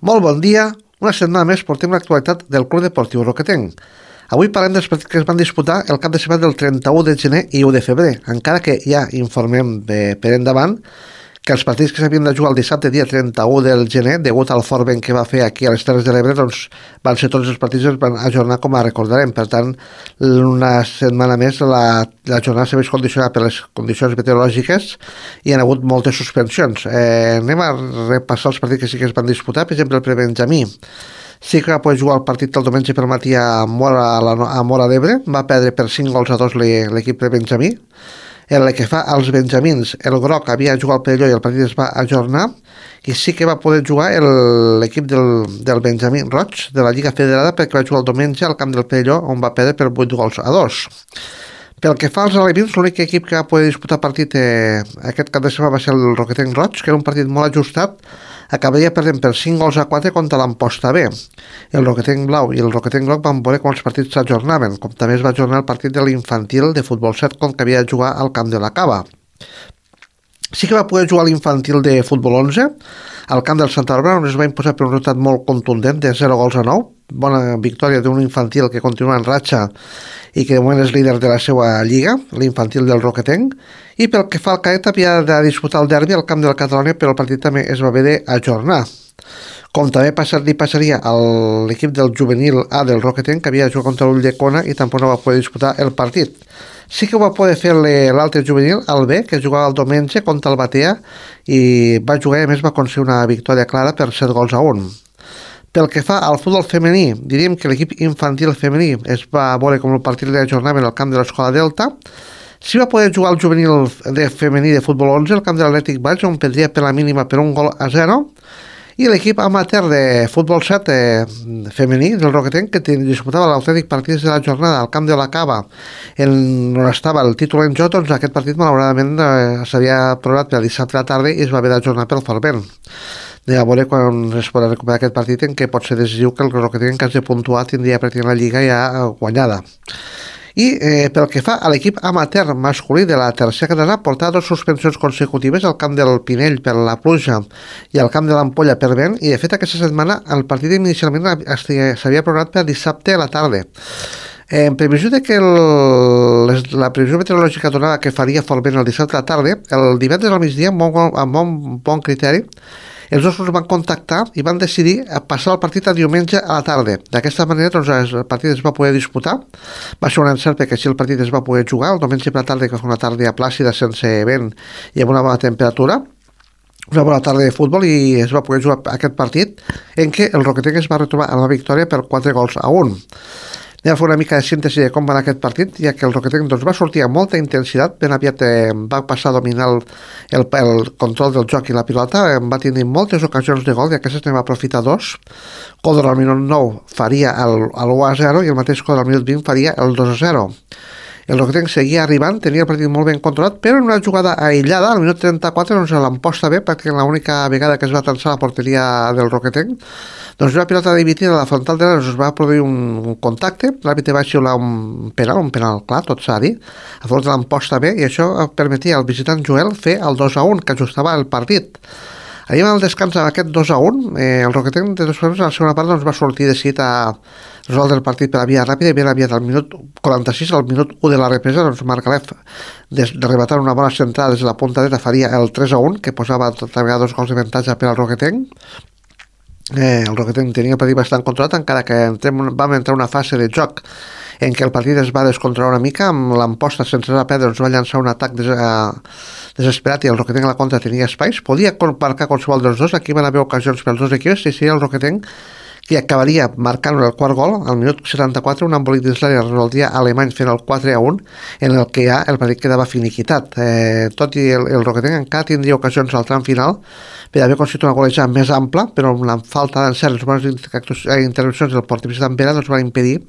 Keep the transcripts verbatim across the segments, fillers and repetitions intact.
Molt bon dia. Una setmana més portem l'actualitat del Club Deportiu Roquetenc. Avui parlem dels partits que es van disputar el cap de setmana del trenta-u de gener i u de febrer, encara que ja informem de, per endavant que els partits que s'havien de jugar el dissabte dia trenta-u del gener, degut al fort vent que va fer aquí a les Terres de l'Ebre, doncs van ser tots els partits que es van ajornar com a recordarem. Per tant, una setmana més la, la jornada s'ha vist condicionada per les condicions meteorològiques i hi ha hagut moltes suspensions. Eh, anem a repassar els partits que sí que es van disputar. Per exemple, el prebenjamí sí que va poder jugar el partit el diumenge per matí a Mora, a, la, a Mora d'Ebre. Va perdre per cinc gols a dos l'equip prebenjamí. En el que fa als benjamins, el groc havia jugat al Perelló i el partit es va ajornar, i sí que va poder jugar l'equip del, del Benjamí Roig de la Lliga Federada, perquè va jugar el diumenge al camp del Perelló, on va perdre per vuit gols a dos. Pel que fa als alevins, l'únic equip que va poder disputar partit eh, aquest cap de setmana va ser el Roquetenc Roig, que era un partit molt ajustat. Acabaria perdent per cinc gols a quatre contra l'Amposta B. El Roquetenc Blau i el Roquetenc Groc van veure com els partits s'ajornaven, com també es va ajornar el partit de l'infantil de futbol set que havia de jugar al camp de la Cava. Sí que va poder jugar l'infantil de futbol onze al camp del Santa Bàrbara, on es va imposar per un resultat molt contundent de zero gols a nou. Bona victòria d'un infantil que continua en ratxa i que de moment és líder de la seva lliga, l'infantil del Roquetenc. I pel que fa al cadet, havia de disputar el derbi al camp de la Catalunya, però el partit també es va haver d'ajornar. Com també passar, li passaria a l'equip del juvenil A del Roquetenc, que havia de jugar contra l'Ulldecona i tampoc no va poder disputar el partit. Sí que ho va poder fer l'altre juvenil, el B, que jugava el diumenge contra el Batea, i va jugar i a més va aconseguir una victòria clara per set gols a un. Pel que fa al futbol femení, diríem que l'equip infantil femení es va veure com el partit de jornada en el camp de l'Escola Delta. Sí va poder jugar el juvenil de femení de futbol onze al camp de l'Atlètic Valls, on perdria per la mínima per un gol a zero. I l'equip amateur de futbol set eh, femení del Roquetenc, que disputava l'autèntic partit de la jornada al camp de la Cava, en on estava el títol en joc, doncs aquest partit malauradament eh, s'havia programat per dissabte a la tarda i es va haver d'ajornar pel fort vent. Anem a veure quan es podrà recuperar aquest partit, en què pot ser decisiu que el Roquetenc, en cas de puntuar, tindria pràcticament la Lliga ja guanyada. I eh, pel que fa a l'equip amateur masculí de la tercera catalana, portava dues suspensions consecutives al camp del Pinell per la pluja i al camp de l'Ampolla per vent, i de fet aquesta setmana el partit inicialment s'havia programat per dissabte a la tarda. En previsió de que el, les, la previsió meteorològica donava que faria fort vent el dissabte a la tarda, el divendres al migdia, amb bon, amb bon, bon criteri, els dos clubs van contactar i van decidir passar el partit a diumenge a la tarda. D'aquesta manera, doncs, el partit es va poder disputar. Va ser un encert perquè així el partit es va poder jugar el diumenge per la tarda, que va una tarda plàcida, sense vent i amb una bona temperatura. Una bona tarda de futbol, i es va poder jugar aquest partit en què el Roquetenc es va retrobar amb la victòria per quatre gols a un. Anem a fer una mica de síntesi de com va anar aquest partit, ja que el Roquetenc doncs, va sortir amb molta intensitat, ben aviat eh, va passar a dominar el, el, el control del joc i la pilota, eh, va tenir moltes ocasions de gol, i aquestes ne va aprofitar dos. Codor al minut nou faria el, el u a zero i el mateix Codor al minut vint faria el dos a zero. El Roquetenc seguia arribant, tenia el partit molt ben controlat, però en una jugada aïllada, al minut trenta-quatre, doncs l'Amposta B, pràcticament l'única vegada que es va tensar la porteria del Roquetenc, doncs una pilota dividida a la frontal de l'Ebre, es va produir un, un contacte, l'àrbitre va xiular un penal, un penal clar, tot s'ha dit, a favor de l'Amposta B, i això permetia al visitant Joel fer el dos a un, que ajustava el partit. Arribant al descans amb aquest dos a un, eh, el Roquetenc de dos formes a la segona part doncs, va sortir decidit a resoldre el partit per la via ràpida, i ben aviat al minut quaranta-sis, al minut u de la represa, doncs Marc Alef, de, de rematar una bona centrada des de la punta dreta, faria el tres a un, que posava tota vegada dos gols d'avantatge per al Roquetenc. Eh, el Roquetenc tenia el partit bastant controlat, encara que entrem, vam entrar una fase de joc en què el partit es va descontrolar una mica, amb l'Amposta sense la perdre ens va llançar un atac des, uh, desesperat, i el Roquetenc a la contra tenia espais, podia marcar qualsevol dels dos, aquí van haver ocasions pels dos equips, i seria el Roquetenc que acabaria marcant el quart gol al minut setanta-quatre, un embolic dins l'àrea resoldria Alemany fent el quatre a un, en el que ja el partit quedava finiquitat. Eh, tot i el, el Roquetenc encara tindria ocasions al tram final per haver constituït una golejada més ampla, però amb la falta d'encert, les bones intervencions del porter visitant Vera doncs van impedir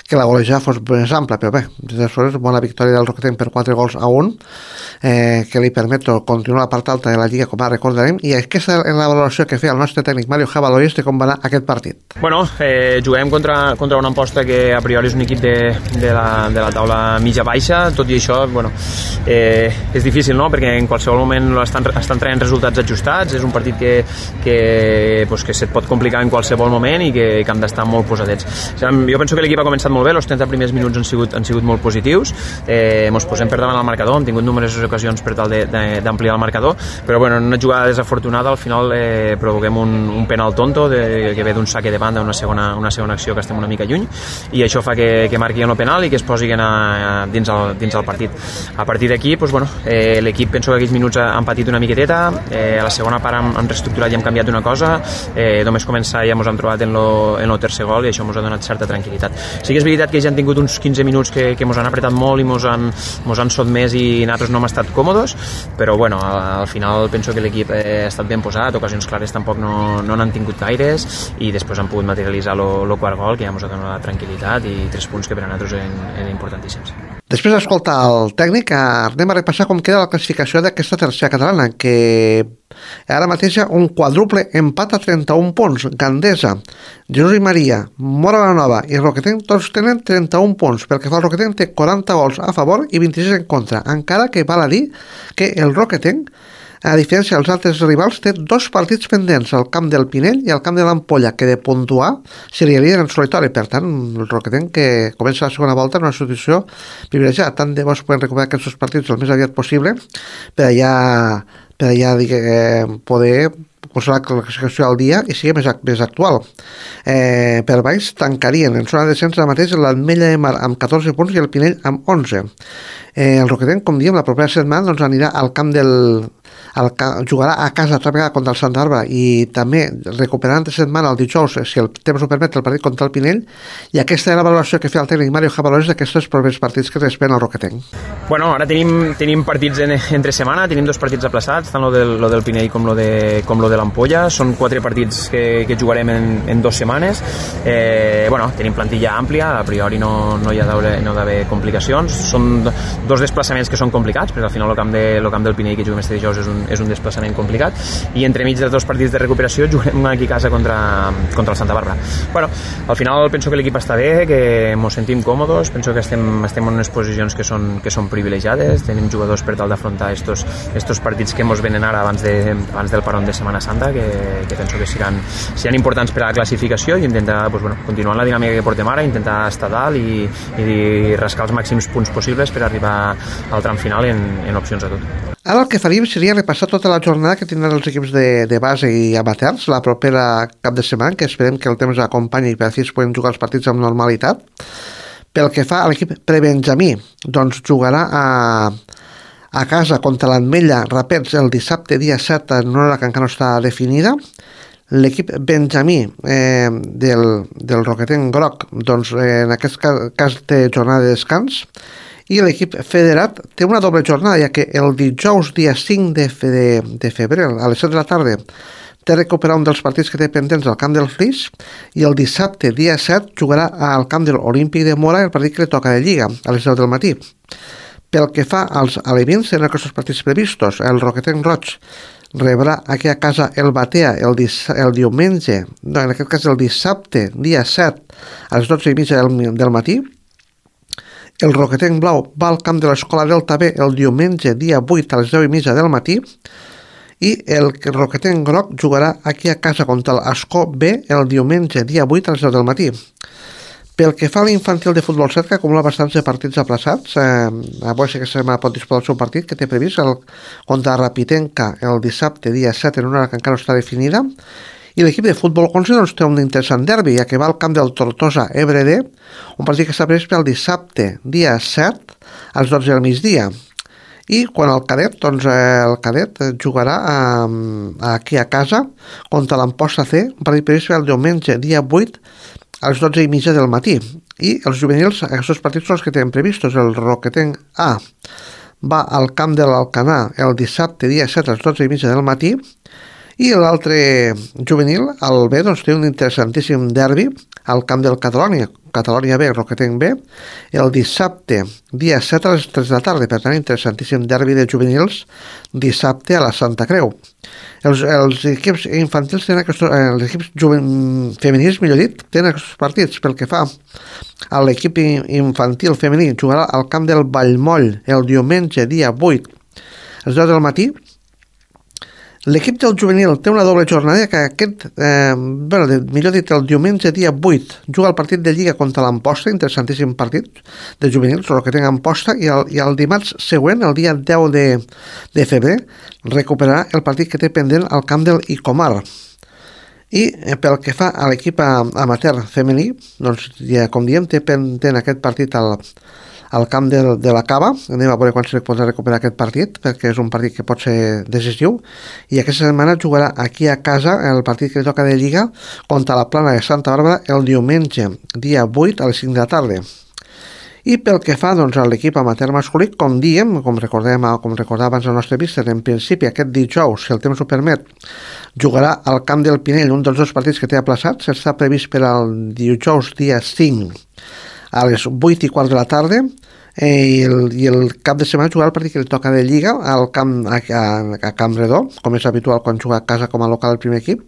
que la golejada fos més ampla, però bé, des d'aleshores, bona victòria del Roquetenc per quatre gols a un, eh, que li permet continuar a la part alta de la Lliga, com ara recordarem, i aquesta és la valoració que feia el nostre tècnic Mario Jabaloyes de com va anar aquest partit. Bueno, eh, juguem contra, contra una Amposta que a priori és un equip de, de, la, de la taula mitja-baixa, tot i això, bueno, eh, és difícil, no?, perquè en qualsevol moment estan, estan traient resultats ajustats, és un partit que, que, pues, que se't pot complicar en qualsevol moment i que, que hem d'estar molt posadets. O sigui, jo penso que l'equip ha començat molt bé, els trenta primers minuts han sigut, han sigut molt positius, eh, ens posem per davant al marcador, hem tingut numeroses ocasions per tal d'ampliar el marcador, però bueno, en una jugada desafortunada al final eh, provoquem un, un penal tonto de, que ve d'un saque de banda, una segona, una segona acció que estem una mica lluny, i això fa que, que marqui el penal i que es posi a, a, dins, el, dins el partit. A partir d'aquí, doncs, bueno, eh, l'equip penso que aquells minuts han patit una miqueteta, eh, a la segona part hem, hem reestructurat i hem canviat una cosa, eh, només començar ja ens hem trobat en lo, en lo tercer gol i això ens ha donat certa tranquil·litat. Sí que és veritat que ja han tingut uns quinze minuts que, que ens han apretat molt i ens han, mos han sotmès i nosaltres no hem estat còmodes, però bueno, al, al final penso que l'equip ha estat ben posat, ocasions clares tampoc no n'han no tingut gaires i després han pogut materialitzar el quart gol que ja ens ha donat la tranquil·litat i tres punts que per a nosaltres eren, eren importantíssims. Després d'escoltar el tècnic, anem a repassar com queda la classificació d'aquesta tercera catalana, que ara mateix hi ha un quadruple empat a trenta-un punts. Gandesa, Jesús i Maria, Móra la Nova i Roquetenc tots tenen trenta-un punts. Pel que fa al Roquetenc té quaranta gols a favor i vint-i-sis en contra, encara que val a dir que el Roquetenc, a diferència dels altres rivals, té dos partits pendents, al camp del Pinell i al camp de l'Ampolla, que de puntuar seria líder en solitari. Per tant, el Roquetenc, que comença la segona volta en una situació privilegiada. Tant de bo es poden recuperar aquests partits el més aviat possible per allà, per allà diguem, poder posar la classificació al dia i sigui més, més actual. Eh, per baix tancarien en zona de descens ara mateix l'Ametlla de Mar amb catorze punts i el Pinell amb onze. Eh, el Roquetenc, com diem, la propera setmana doncs, anirà al camp del el, jugarà a casa altra vegada contra el Santa Bàrbara i també recuperant de setmana el dijous, si el temps ho permet, el partit contra el Pinell, i aquesta era la valoració que feia el tècnic Mario Jabalores d'aquests propers partits que respecten al Roquetenc. Bueno, ara tenim, tenim partits en, entre setmana, tenim dos partits aplaçats, tant lo del, lo del Pinell com lo de, com lo de l'Ampolla, són quatre partits que, que jugarem en, en dues setmanes. Eh, bueno, tenim plantilla àmplia, a priori no, no hi ha d'haver no complicacions, són dos desplaçaments que són complicats, perquè al final el camp, de, el camp del Pinell que juguem este dijous és un, és un desplaçament complicat, i entremig dels dos partits de recuperació juguem aquí a casa contra, contra el Santa Bàrbara. Bueno, al final penso que l'equip està bé, que ens sentim còmodes, penso que estem, estem en unes posicions que són, que són privilegiades, tenim jugadors per tal d'afrontar estos, estos partits que ens venen ara abans, de, abans del parón de Setmana Santa, que, que penso que seran, seran importants per a la classificació i intentar pues, bueno, continuar la dinàmica que portem ara, intentar estar dalt i, i rascar els màxims punts possibles per arribar al tram final en, en opcions a tot. Ara el que faríem seria repassar tota la jornada que tindran els equips de, de base i amateurs la propera cap de setmana, que esperem que el temps acompanyi i per fi es poden jugar els partits amb normalitat. Pel que fa a l'equip prebenjamí, doncs jugarà a, a casa contra l'Ametlla Rapets el dissabte dia set en una hora que encara no està definida. L'equip benjamí eh, del, del Roquetenc Groc, doncs eh, en aquest cas, cas té jornada de descans, i l'equip federat té una doble jornada, ja que el dijous dia cinc de, fe, de, de febrer a les set de la tarda té recuperar un dels partits que té pendents al camp del Flix, i el dissabte dia set jugarà al camp de l'Olímpic de Mora el partit que li toca de Lliga a les deu del matí. Pel que fa als alevins, en aquests partits previstos, el Roquetenc Roig rebrà aquí a casa el Batea el, el diumenge, no, en aquest cas el dissabte dia set a les dotze i mitja del, del matí. El Roquetenc Blau va al camp de l'Escola Delta B el diumenge dia vuit a les deu i mitja del matí, i el Roquetenc Groc jugarà aquí a casa contra l'Escó B el diumenge dia vuit a les deu del matí. Pel que fa a l'infantil de futbol set, que acumula bastants de partits aplaçats, eh, avui sí que se pot disposar del seu partit que té previst el, contra Rapitenca el dissabte dia set en una hora que encara no està definida. I l'equip de futbol onze doncs, té un interessant derbi, ja que va al camp del Tortosa Ebre D, un partit que està previst per el dissabte, dia set, a les dotze del migdia. I quan el cadet, doncs el cadet jugarà a, aquí a casa contra l'Amposta C, un partit previst per el diumenge, dia vuit, a les dotze i mitja del matí. I els juvenils, aquests partits són els que tenen previstos. El Roquetenc A va al camp de l'Alcanar el dissabte, dia set, a les dotze i mitja del matí, i l'altre juvenil, el B, doncs, té un interessantíssim derbi al camp del Catalònia, Catalònia B, Roquetenc B, el dissabte, dia set a les tres de la tarda, per tant, interessantíssim derbi de juvenils, dissabte a la Santa Creu. Els, els equips infantils tenen aquests, els equips juven, femenins, millor dit, tenen aquests partits. Pel que fa a l'equip infantil femení, jugarà al camp del Vallmoll el diumenge, dia vuit, a les deu del matí. L'equip del juvenil té una doble jornada que aquest, eh, bueno, millor dit, el diumenge dia vuit juga el partit de Lliga contra l'Amposta, interessantíssim partit de juvenils, el que tenen Amposta, i el, i el dimarts següent, el dia deu de, de febrer, recuperarà el partit que té pendent al camp del Icomar. I eh, pel que fa a l'equip amateur femení, doncs, ja, com diem, té pendent aquest partit al al camp de, de la Cava. Anem a veure quan se podrà recuperar aquest partit, perquè és un partit que pot ser decisiu, i aquesta setmana jugarà aquí a casa el partit que li toca de Lliga contra la Plana de Santa Bàrbara el diumenge, dia vuit a les cinc de la tarda. I pel que fa doncs, a l'equip amateur masculí, com diem, com recordem, com recordava abans el nostre vista, en principi aquest dijous, si el temps ho permet, jugarà al camp del Pinell, un dels dos partits que té aplaçats, està previst per al dijous dia cinc a les vuit i quart de la tarda, eh, i, el, i el cap de setmana jugarà el partit que li toca de Lliga al camp, a, a, a Camp Redó, com és habitual quan juga a casa com a local el primer equip,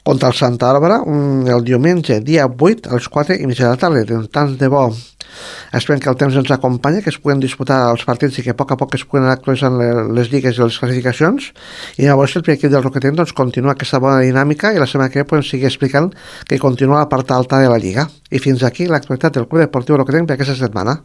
contra el Santa Bàrbara, el diumenge, dia vuit, a les quatre i mitja de la tarda. Doncs, tant de bo, esperem que el temps ens acompanya, que es puguen disputar els partits i que a poc a poc es puguen actualitzar les lligues i les classificacions, i llavors el primer equip del Roquetenc doncs, continua aquesta bona dinàmica, i la setmana que ve podem seguir explicant que continua la part alta de la Lliga. I fins aquí l'actualitat del Club Deportiu Roquetenc per aquesta setmana.